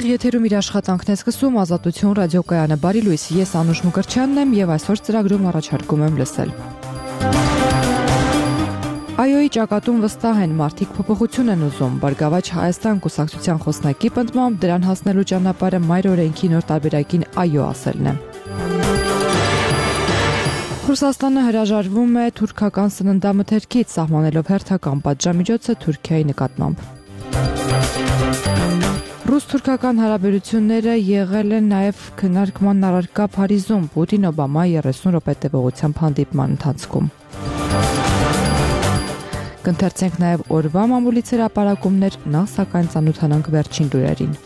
Եթերում իր աշխատանքն է սկսում Ազատություն ռադիոկայանը։ Բարի լույս, ես Անուշ Մկրտչյանն եմ եւ այսօր ծրագրում առաջարկում եմ լսել։ ԱՅՈ-ի ճակատում վստահ են, մարդիկ փոփոխություն են ուզում։ Բարգավաճ Հայաստան կուսակցության խոսնակի պնդմամբ դրան հասնելու ճանապարհը մայր օրենքի նոր տարբերակին ԱՅՈ ասելն է։ Ռուսաստանը հրաժարվում է թուրքական սննդամթերքից, սահմանելով հերթական պատժամիջոցը Թուրքիայի նկատմամբ։ Ռուս-թուրքական հարաբերությունները եղել են նաև քննարկման առարկա Փարիզում Պուտին-Օբամա 30 րոպե տևողությամբ հանդիպման ընթացքում։ Կընթերցենք նաև օրվա մամուլից հրապարակումներ, նախ սակայն ծանոթանանք վերջին լուրերին։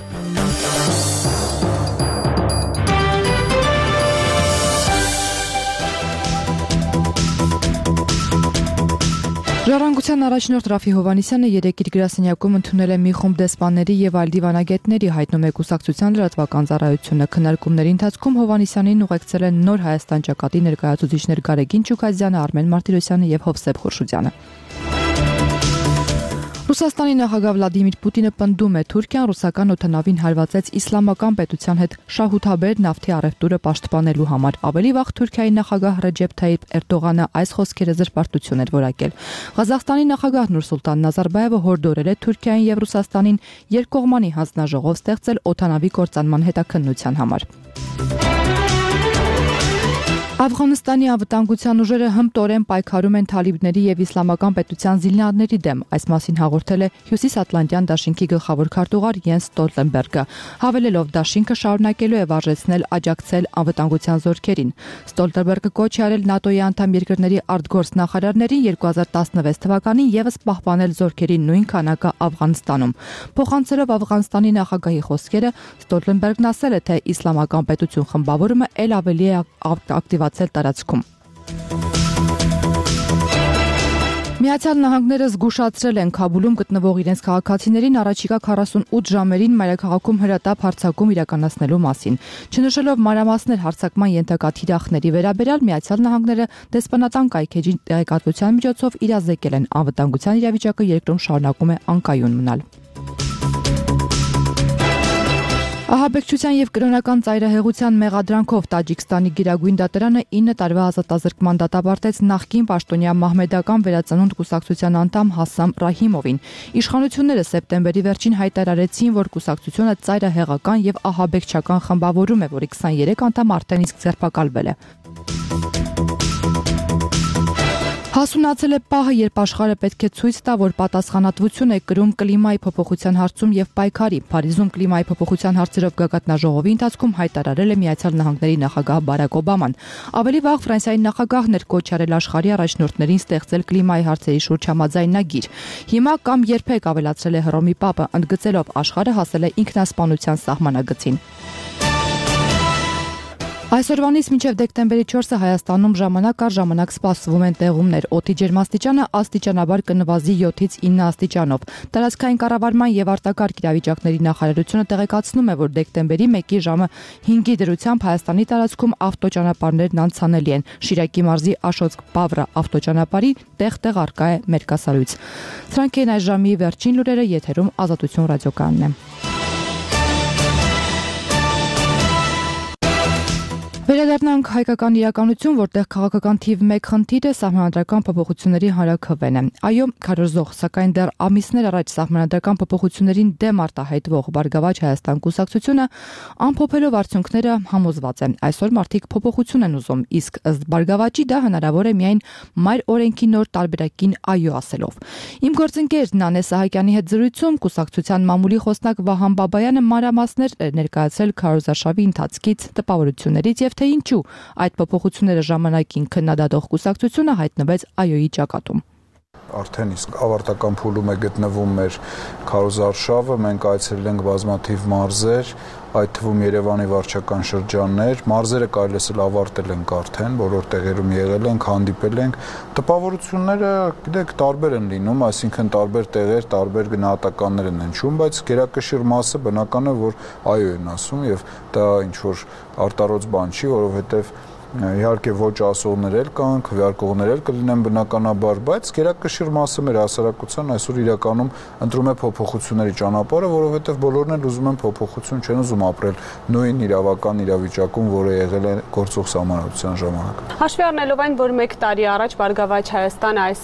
Ժառանգության առաջնորդ Ռաֆի Հովհաննիսյանը երեկ իր գրասենյակում ընդունել է մի խումբ դեսպանների եւ այլ դիվանագետների, հայտնում է կուսակցության լրատվական ծառայությունը։ Քննարկումների ընթացքում Հովհաննիսյանին ուղեկցել են նոր Հայաստան ճակատի ներկայացուցիչներ Գարեգին Չուքազյանը, Արմեն Մարտիրոսյանը եւ Հովսեփ Խուրշուդյանը։ Ռուսաստանի նախագահ Վլադիմիր Պուտինը պնդում է, Թուրքիան ռուսական օդանավին հարվածեց իսլամական պետության հետ շահութաբեր նավթի առևտուրը պաշտպանելու համար։ Ավելի վաղ Թուրքիայի նախագահ Ռեջեփ Թայիփ Էրդողանը այս խոսքերը զրպարտություն էր որակել։ Ղազախստանի նախագահ Նուրսուլտան Նազարբաևը հորդորել է Թուրքիային եւ Ռուսաստանին երկկողմանի հանձնաժողով ստեղծել օդանավի կործանման հետաքննության համար։ Աֆղանստանի անվտանգության ուժերը հմտորեն պայքարում են թալիբների եւ իսլամական պետության զինյալների դեմ, այս մասին հաղորդել է Հյուսիսատլանտյան դաշինքի գլխավոր քարտուղար Յենս Ստոլտենբերգը, հավելելով դաշինքը շարունակելու է վարժեցնել աջակցել անվտանգության զորքերին։ Ստոլտենբերգը կոչ է արել ՆԱՏՕ-ի անդամ երկրների արտգործ նախարարներին 2016 թվականին եւս պահպանել զորքերի նույն քանակը Աֆղանստանում։ Փոխանցելով Աֆղանստանի նախագահի խոսքերը, Ստոլտենբերգն ասել է, թե իսլամական պետություն խմբավորումը ել ավելի է ակտիվացել տարածքում։ Միացյալ Նահանգները զգուշացրել են Քաբուլում գտնվող իրենց քաղաքացիներին առաջիկա 48 ժամերին մայրաքաղաքում հրատապ հարձակում իրականացնելու մասին։ Չնշելով մանրամասներ հարձակման ենթակա թիրախների վերաբերյալ, Միացյալ Նահանգները դեսպանատան կայքեջի տեղեկատվության միջոցով իրազեկել են անվտանգության իրավիճակը երկրում շարունակում է անկայուն մնալ։ Ահաբեկչության եւ կրոնական ծայրահեղության մեղադրանքով Տաջիկստանի Գիրագույն դատարանը 9 տարվա ազատազրկման դատապարտեց նախկին պաշտոնյա մահմեդական վերածնունդ կուսակցության անդամ Հասամ Ռահիմովին։ Իշխանությունները սեպտեմբերի վերջին հայտարարեցին, որ կուսակցությունը ծայրահեղական եւ ահաբեկչական խմբավորում է, որի 23 անդամ արդեն իսկ ձերբակալվել է։ Հասունացել է պահը, երբ աշխարհը պետք է ցույց տա, որ պատասխանատվություն է կրում կլիմայի փոփոխության հարցում եւ պայքարի։ Փարիզում կլիմայի փոփոխության հարցերով գագաթնաժողովի ընթացքում հայտարարել է Միացյալ Նահանգների նախագահ Բարակ Օբաման։ Ավելի վաղ Ֆրանսիայի նախագահն էր կոչ արել աշխարհի առաջնորդներին ստեղծել կլիմայի հարցերի շուրջ համաձայնագիր։ Հիմա կամ երբեք, ավելացրել է Հռոմի Պապը, ընդգծելով աշխարհը հասել է ինքնասպանության սահմանագծին։ Այսօրվանից մինչև դեկտեմբերի 4-ը Հայաստանում ժամանակ առ ժամանակ սպասվում են տեղումներ։ Օդի ջերմաստիճանը աստիճանաբար կնվազի 7-ից 9 աստիճանով։ Տարածքային կառավարման եւ արտակարգ իրավիճակների նախարարությունը տեղեկացնում է, որ դեկտեմբերի 1-ի ժամը 5-ի դրությամբ Հայաստանի տարածքում ավտոճանապարհներն անցանելի են։ Շիրակի մարզի Աշոտսկ-Բավրա ավտոճանապարհի տեղ-տեղ առկա է մերկասարույց։ Սրանք են այս ժամի վերջին լուրերը, եթերում Ազատություն ռադիոկայանն է։ Վերադառնանք հայկական իրականություն, որտեղ քաղաքական թիվ 1 խնդիրը սահմանադրական փոփոխությունների հանրաքվեն է։ ԱՅՈ քարոզող, սակայն դեռ ամիսներ առաջ սահմանադրական փոփոխություններին դեմ արտահայտվող Բարգավաճ Հայաստան կուսակցությունը ամփոփելով արդյունքները համոզված է։ Այսօր մարդիկ փոփոխություն են ուզում, իսկ ըստ Բարգավաճի դա հնարավոր է միայն մայր օրենքի նոր տարբերակին ԱՅՈ ասելով։ Իմ գործընկեր Նանե Սահակյանի հետ զրույցում կուսակցության մամուլի խոսնակ Վահան Բաբայանը մանրամասներ ներկայացրել քարոզարշավի ընթացքից, տպավորություններից եւ թե ինչու այդ փոփոխությունները ժամանակին քննադատող կուսակցությունը հայտնվեց ԱՅՈ-ի ճակատում։ Արդեն իսկ ավարտական փուլում է գտնվում մեր քարոզարշավը, մենք այցելել ենք բազմաթիվ մարզեր, այդ թվում Երևանի վարչական շրջաններ, մարզերը կարելի է ավարտել ենք արդեն, բոլոր տեղերում եղել ենք, հանդիպել ենք։ Տպավորությունները, գիտեք, տարբեր են լինում, այսինքն տարբեր տեղեր, տարբեր գնահատականներ են հնչում, բայց գերակշիռ մասը բնական է, որ ԱՅՈ-ն ասում եւ դա ինչ որ արտարոց բան չի, որովհետեւ իհարկե ոչ ասողներ էլ կան, քվեարկողներ էլ կլինեն բնականաբար, բայց գերակշիռ մասը մեր հասարակության այսօր իրականում ընտրում է փոփոխությունների ճանապարհը, որովհետև բոլորն էլ ուզում են փոփոխություն, չեն ուզում ապրել նույն իրավական իրավիճակում, որը եղել է գործող սահմանադրության ժամանակ։ Հաշվի առնելով այն, որ 1 տարի առաջ Բարգավաճ Հայաստանը այս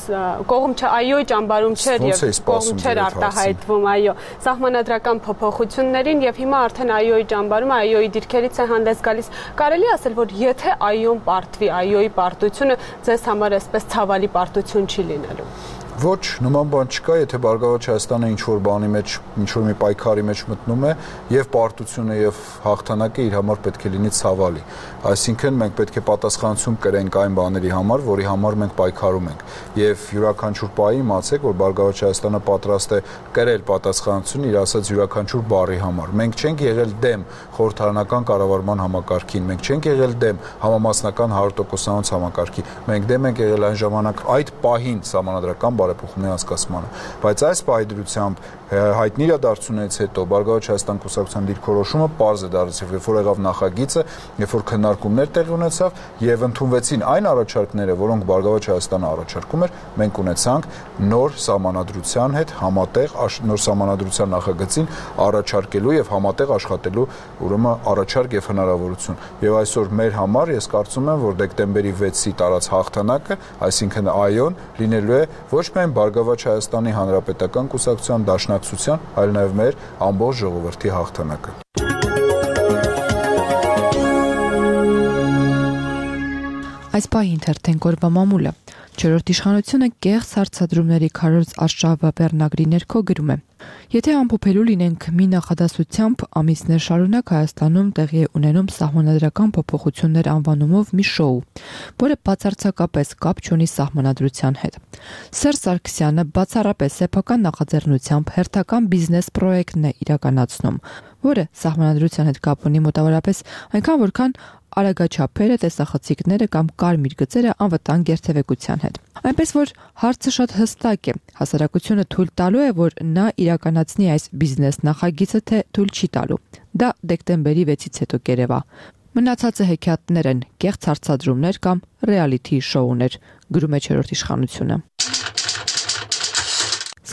կողմ այոյի ճամբարում չէր եւ կողմ չէր արտահայտվում, այո, սահմանադրական փոփոխություններին եւ հիմա արդեն այոյի ճամբարում այոյի դիրքերից է հանդես գալիս։ Կարելի ասել, որ եթե այոն պարտվի, այոյի պարտությունը ձեզ համար այսպես ցավալի պարտություն չի լինելու։ Ոչ, նման բան չկա, եթե Բարգավաճ Հայաստանը ինչ-որ բանի մեջ, ինչ-որ մի պայքարի մեջ մտնում է, եւ պարտությունը եւ հաղթանակը իր համար պետք է լինի ցավալի։ Այսինքն մենք պետք է պատասխանատվություն կրենք այն բաների համար, որի համար մենք պայքարում ենք։ Եվ յուրաքանչյուր պահի իմացեք, որ Բարգավաճ Հայաստանը պատրաստ է կրել պատասխանատվություն իր ասած յուրաքանչյուր բառի համար։ Մենք չենք եղել դեմ խորհրդարանական կառավարման համակարգին, մենք չենք եղել դեմ համամասնական 100%-անոց համակարգի։ Մենք դեմ ենք եղել այն ժամանակ այդ պահին սահմանադրական բարեփոխումների անցկացմանը, բայց այս պայդրությամբ հայտնի իրադարձություններից հետո Բարգավաճ Հայաստան կուսակցության դիրքորոշումը պարզ է դարձել, երբ որ եղավ նախագիծը, երբ որ քննարկումներ տեղի ունեցավ եւ ընդունվեցին այն առաջարկները, որոնք Բարգավաճ Հայաստանը առաջարկում էր, մենք ունեցանք նոր սահմանադրության հետ համատեղ նոր սահմանադրության նախագծին առաջարկելու եւ համատեղ աշխատելու ուրեմն առաջարկ եւ հնարավորություն։ Եվ այսօր մեր համար ես կարծում եմ, որ դեկտեմբերի 6-ի տարած հաղթանակը, այսինքն այոն լինելու է ոչ միայն Բարգավաճ Հայաստանի Հանրապետական կուսակցության դաշնակցության, այլ նաև մեր ամբողջ ժողովրդի հաղթանակը։ Այս պահին թերթենք օրվա մամուլը։ Չորրորդ իշխանությունը կեղծ հարցադրումների քարոզ արշավը բեռնագրի ներքո գրում է. Եթե ամփոփելու լինենք մի նախադասությամբ, ամիսներ շարունակ Հայաստանում տեղի է ունենում սահմանադրական փոփոխություններ անվանումով մի շոու, որը բացարձակապես կապ չունի սահմանադրության հետ։ Սերժ Սարգսյանը բացառապես սեփական նախաձեռնությամբ հերթական բիզնես պրոյեկտն է իրականացնում, որը սահմանադրության հետ կապ ունի մոտավորապես այնքան, որքան արագաչափերը, տեսախցիկները կամ կարմիր գծերը անվտանգ երթևեկության հետ։ Այնպես որ հարցը շատ հստակ է, հասարակությունը թույլ տալու է, որ նա իրականացնի այս բիզնես նախագիծը, թե թույլ չի տալու։ Դա դեկտեմբերի 6-ից հետո կերևա։ Մնացածը հեքիաթներ են, կեղծ հարցադրումներ կամ ռեալիթի շոուներ, գրում է չորրորդ իշխանությունը։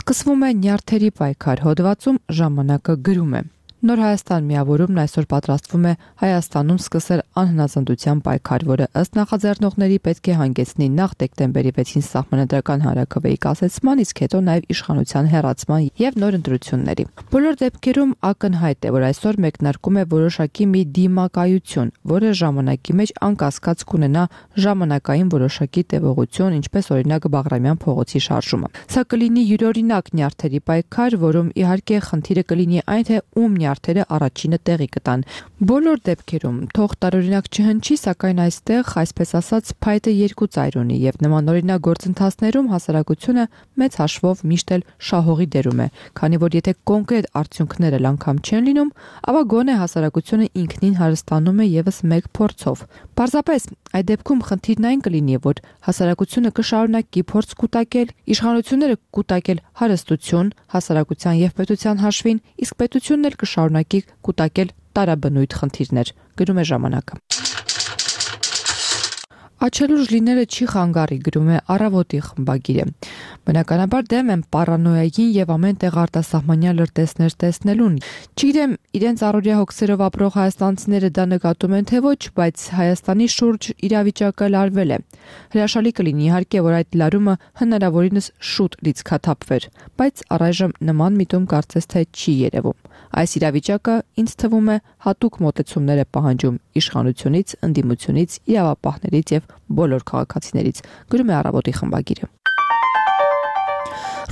Սկսվում է նյարդերի պայքար հոդվածում ժամանակը գրում է. Նոր Հայաստան միավորումն այսօր պատրաստվում է Հայաստանում սկսել անհնազանդության պայքար, որը ըստ նախաձեռնողների պետք է հանգեցնի նախ դեկտեմբերի 6-ին սահմանադրական հանրաքվեի կասեցման, իսկ հետո նաև իշխանության հեռացման եւ նոր ընտրությունների։ Բոլոր դեպքերում ակնհայտ է, որ այսօր մեկնարկում է որոշակի մի դիմակայություն, որը ժամանակի մեջ անկասկած կունենա ժամանակային որոշակի տևողություն, ինչպես օրինակ Բաղրամյան փողոցի շարժումը։ Սա կլինի յուրօրինակ նյարդերի պայքար, որում իհարկե խնդիրը կլինի այն, թե ում նյարդերը առաջինը տեղի կտան։ Բոլոր դեպքերում թող տարօրինակ չհնչի, սակայն այստեղ, այսպես ասած, փայտը երկու ծայր ունի եւ նմանօրինակ գործընթացներում հասարակությունը մեծ հաշվով միշտ էլ շահողի դերում է, քանի որ եթե կոնկրետ արդյունքները անգամ չեն լինում, ապա գոնե հասարակությունը ինքնին հարստանում է եւս մեկ փորձով։ Պարզապես այդ դեպքում խնդիրն այն կլինի, որ հասարակությունը կշարունակի փորձ կուտակել, իշխանությունները կուտակել հարստություն հասարակության եւ պետության հաշվին, իսկ պետությունն էլ կշարունակի կուտակել տարաբնույթ խնդիրներ, գրում է ժամանակը։ Աչելուր լինելը չի խանգարի, գրում է Առավոտի խմբագիրը։ Բնականաբար դեմ եմ պարանոյային եւ ամեն տեղ արտասահմանյան լրտեսներ տեսնելուն։ Չգիտեմ, իրենց առօրյա հոգսերով ապրող հայաստանցիները դա նկատում են թե ոչ, բայց Հայաստանի շուրջ իրավիճակը լարվել է։ Հրաշալի կլինի իհարկե, որ այդ լարումը հնարավորինս շուտ լիցքաթափվեր, բայց առայժմ նման միտում կարծես թե չի երևում։ Այս իրավիճակը ինձ թվում է հատուկ մոտեցումներ է պահանջում իշխանությունից, ընդդիմությունից, իրավապահներից եւ բոլոր քաղաքացիներից, գրում է Առավոտի խմբագիրը։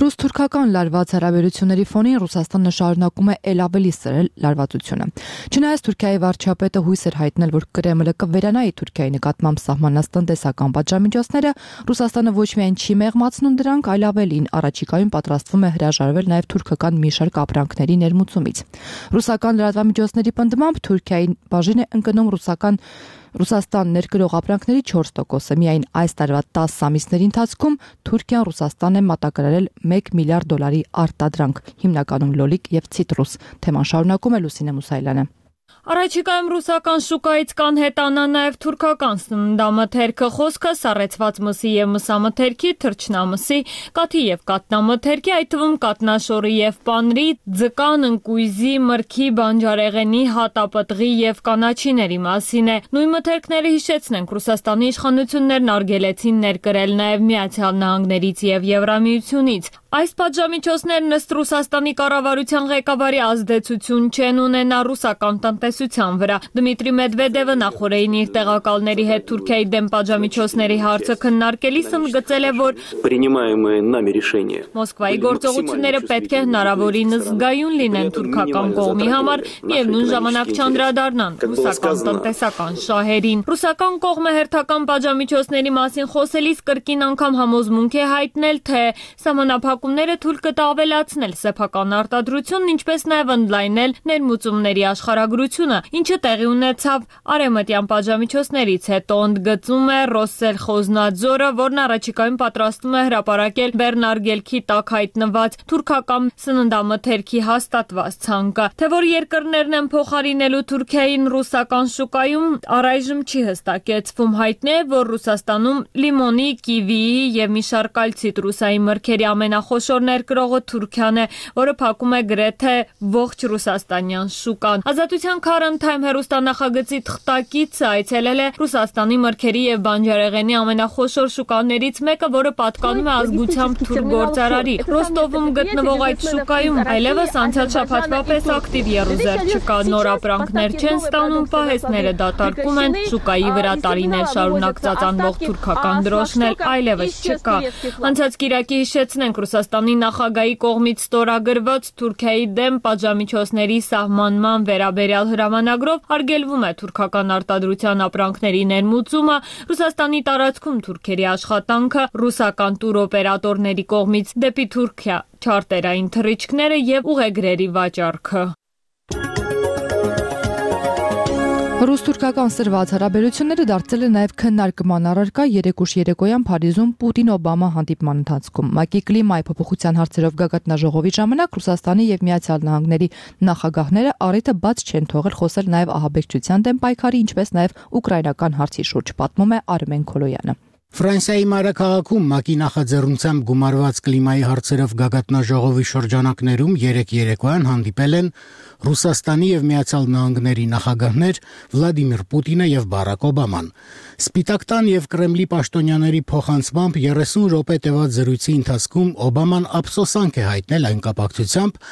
Ռուս-թուրքական լարված հարաբերությունների ֆոնին Ռուսաստանը շարունակում է ել ավելի սրել լարվածությունը։ Չնայած Թուրքիայի վարչապետը հույս էր հայտնել, որ Կրեմլը կվերանայի Թուրքիայի նկատմամբ սահմանած տնտեսական պատժամիջոցները, Ռուսաստանը ոչ միայն չի մեղմացնում դրանք, այլ ավելին առաջիկայում պատրաստվում է հրաժարվել նաև թուրքական մի շարք ապրանքների ներմուծումից։ Ռուսական լրատվամիջոցների պնդմամբ Թուրքիայի բաժին է ընկնում Ռուսաստան ներկրող ապրանքների 4%-ը։ Միայն այս տարվա 10 ամիսների ընթացքում Թուրքիան Ռուսաստան է մատակարարել $1 միլիարդ արտադրանք, հիմնականում լոլիկ եւ ցիտրուս։ Թեման շարունակում է Լուսինե Մուսայելյանը։ Առաջիկայում ռուսական շուկայից կանհետանա նաև թուրքական սննդամթերքը, խոսքը սառեցված մսի և մսամթերքի, թռչնամսի, կաթի և կատնամթերքի, այդ թվում կատնաշորի և պանրի, ձկան, ընկույզի, մրգի, բանջարեղենի, հատապտղի և կանաչիների մասին է։ Նույն մթերքները, հիշեցնենք, Ռուսաստանի իշխանություններն արգելեցին ներկրել նաև Միացյալ Նահանգներից և Եվրամիությունից։ Այս պատժամիջոցներն ըստ Ռուսաստանի կառավարության ղեկավարի ազդեցություն չեն ունենա ռուսական տնտեսության վրա։ Դմիտրի Մեդվեդևը նախորդին իր տեղակալների հետ Թուրքիայի դեմ պատժամիջոցների հարցը քննարկելիս ընդգծել է, որ Մոսկվայի գործողությունները պետք է հնարավորինս զգայուն լինեն թուրքական կողմի համար, միևնույն ժամանակ չանդրադառնան ռուսական տնտեսական շահերին։ Ռուսական կողմը հերթական պատժամիջոցների մասին խոսելիս կրկին անգամ համոզմունք է հայտնել, թե սահմանափակումները թույլ կտա ավելացնել սեփական արտադրությունն, ինչպես նաև ընդլայնել ներմուծումների աշխարհագրությունը, ինչը տեղի ունեցավ արևմտյան պատժամիջոցներից հետո, ընդգծում է Ռոսսելխոզնադզորը, որն առաջիկայում պատրաստվում է հրապարակել Բեռնարգելքի տակ հայտնված թուրքական սննդամթերքի հաստատված ցանկը։ Թե որ երկրներն են փոխարինելու Թուրքիային ռուսական շուկայում, առայժմ չի հստակեցվում։ Հայտնի է, որ Ռուսաստանում լիմոնի, կիվիի և մի շարք այլ ցիտրուսային մրգերի ամենախոշոր ներկրողը Թուրքիան է, որը փակում է գրեթե ողջ ռուսաստանյան շուկան։ Ազատության Current Time հեռուստանախագծի թղթակիցը այցելել է Ռուսաստանի մրգերի և բանջարեղենի ամենախոշոր շուկաներից մեկը, որը պատկանում է ազգությամբ թուրք գործարարի։ Ռոստովում գտնվող այդ շուկայում այլևս անցյալ շաբաթվա պես ակտիվ եռուզեռ չկա, նոր ապրանքներ չեն ստանում, պահեստները դատարկում են, շուկայի վրա տարիներ շարունակ ծածանվող թուրքական դրոշն էլ այլևս չկա։ Անցած կիրակի հիշեցնենք, Ռուսաստանի նախագահի կողմից ստորագրված Թուրքիայի դեմ պատժամիջոցների սահմանման վերաբերյալ հրամանագրով արգելվում է թուրքական արտադրության ապրանքների ներմուծումը, Ռուսաստանի տարածքում թուրքերի աշխատանքը, ռուսական տուրօպերատորների կողմից դեպի Թուրքիա չարտերային թռիչքները և ուղեգրերի վաճառքը։ Ռուս-թուրքական սրված հարաբերությունները դարձել են նաև քննարկման առարկա երեկուշ երեկոյան Փարիզում Պուտին-Օբամա հանդիպման ընթացքում։ ՄԱԿ-ի կլիմայի փոփոխության հարցերով գագաթնաժողովի ժամանակ Ռուսաստանի և Միացյալ Նահանգների նախագահները առիթը բաց չեն թողել խոսել նաև ահաբեկչության դեմ պայքարի, ինչպես նաև ուկրաինական հարցի շուրջ, պատմում է Արմեն Քոլոյանը։ Ֆրանսիայի մայրաքաղաքում ՄԱԿ-ի նախաձեռնությամբ գումարված կլիմայի հարցերով գագաթնաժողովի շրջանակներում երեկոյան հանդիպել են Ռուսաստանի և Միացյալ Նահանգների նախագահներ Վլադիմիր Պուտինը և Բարակ Օբաման։ Սպիտակ տան և Կրեմլի պաշտոնյաների փոխանցմամբ 30 րոպե տևած զրույցի ընթացքում Օբաման ափսոսանք է հայտնել այն կապակցությամբ,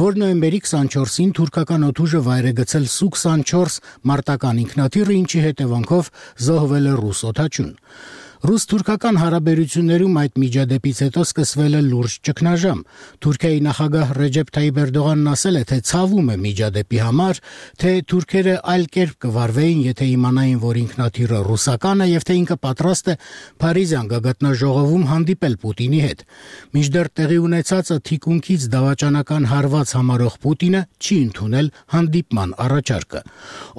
որ նոյեմբերի 24-ին թուրքական օդուժը վայր է գցել Սու-24 մարտական ինքնաթիռը, ինչի հետևանքով զոհվել է ռուս օդաչուն։ Ռուս-թուրքական հարաբերություններում այդ միջադեպից հետո սկսվել է լուրջ ճգնաժամ։ Թուրքիայի նախագահ Ռեջեփ Թայիփ Էրդողանն ասել է, թե ցավում է միջադեպի համար, թե թուրքերը այլ կերպ կվարվեին, եթե իմանային, որ ինքնաթիռը ռուսական է եւ թե ինքը պատրաստ է Փարիզյան գագաթնաժողովում հանդիպել Պուտինի հետ։ Մինչդեռ տեղի ունեցածը թիկունքից դավաճանական հարված համարող Պուտինը չի ընդունել հանդիպման առաջարկը։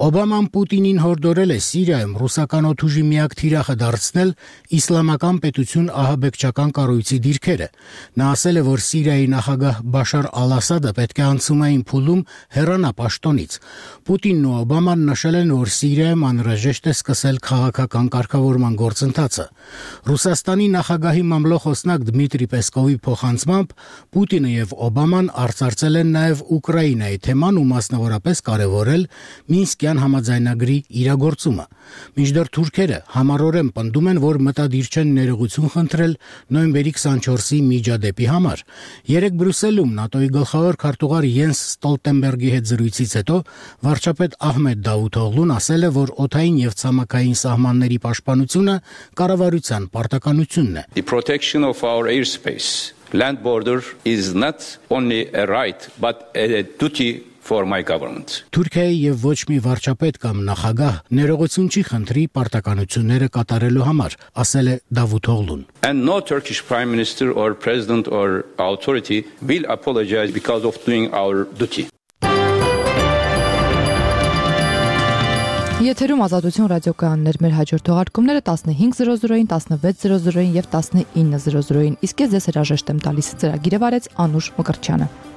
Օբաման Պուտինին հորդորել է Սիրիայում ռուսական օդուժի միակ թիրախը դարձնել Իսլամական պետություն ահաբեկչական կառույցի դիրքերը։ Նա ասել է, որ Սիրիայի նախագահ Բաշար Ալ-Ասադը պետք է անցումային փուլում հեռանա պաշտոնից։ Պուտինն ու Օբաման նշել են, որ Սիրիայում անհրաժեշտ է սկսել քաղաքական կարգավորման գործընթացը։ Ռուսաստանի նախագահի մամլոխոսնակ Դմիտրի Պեսկովի փոխանցմամբ Պուտինը եւ Օբաման արծարծել են նաև Ուկրաինայի թեման ու մասնավորապես կարևորել Մինսկյան համաձայնագրի իրագործումը։ Մինչդեռ թուրքերը համառորեն պնդում են, որ մտադիր չեն ներողություն խնդրել նոյեմբերի 24-ի միջադեպի համար։ Երեկ Բրյուսելում ՆԱՏՕ-ի գլխավոր քարտուղար Յենս Ստոլտենբերգի հետ զրույցից հետո վարչապետ Ահմեդ Դավութօղլուն ասել է, որ օդային եւ ցամաքային սահմանների պաշտպանությունը կառավարության պարտականությունն է։ The protection of our airspace, land border is not only a right but a duty for my government. Թուրքիայի եւ ոչ մի վարչապետ կամ նախագահ ներողություն չի խնդրի պարտականությունները կատարելու համար, ասել է Դավութօղլուն։ And no Turkish prime minister or president or authority will apologize because of doing our duty. Եթերում Ազատություն ռադիոկայաններ, մեր հաջորդ թողարկումները 15:00-ին, 16:00-ին եւ 19:00-ին, իսկ ես ձեզ հրաժեշտ եմ տալիս։ Ծրագիրը վարեց Անուշ Մկրտչյանը։